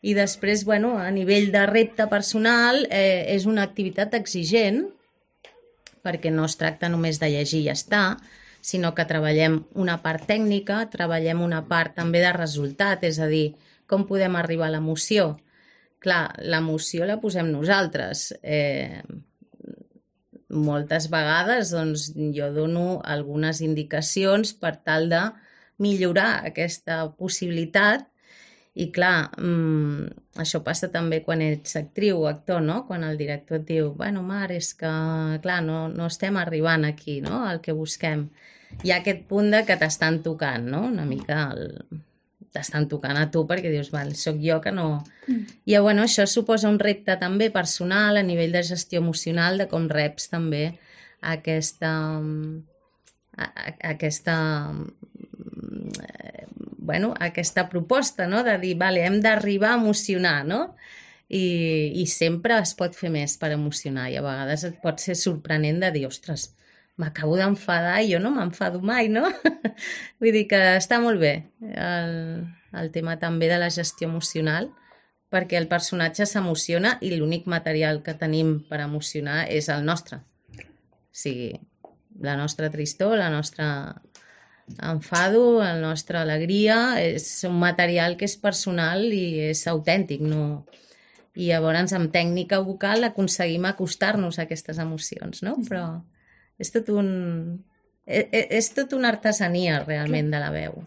I després, bueno, a nivell de repte personal, és una activitat exigent, perquè no es tracta només de llegir i ja està, sinó que treballem una part tècnica, treballem una part també de resultat, és a dir, com podem arribar a l'emoció. Clar, l'emoció la posem nosaltres. Moltes vegades doncs, jo dono algunes indicacions per tal de millorar aquesta possibilitat i clar, això passa també quan ets actriu o actor, no? Quan el director et diu, bueno, Mar, és que clar, no estem arribant aquí, no? Al que busquem. Hi ha aquest punt de que t'estan tocant, no? Una mica t'estan tocant a tu perquè dius, val, sóc jo que no... I bueno, això suposa un repte també personal a nivell de gestió emocional, de com reps també aquesta, aquesta proposta, no? De dir, vale, hem d'arribar a emocionar, no? I sempre es pot fer més per emocionar i a vegades et pot ser sorprenent de dir, ostres, m'acabo d'enfadar i jo no m'enfado mai, no? Vull dir que està molt bé el tema també de la gestió emocional, perquè el personatge s'emociona i l'únic material que tenim per emocionar és el nostre. O sigui, la nostra tristor, la nostra enfado, la nostra alegria, és un material que és personal i és autèntic, no? I llavors amb tècnica vocal aconseguim acostar-nos a aquestes emocions, no? Però és tot una artesania realment de la veu.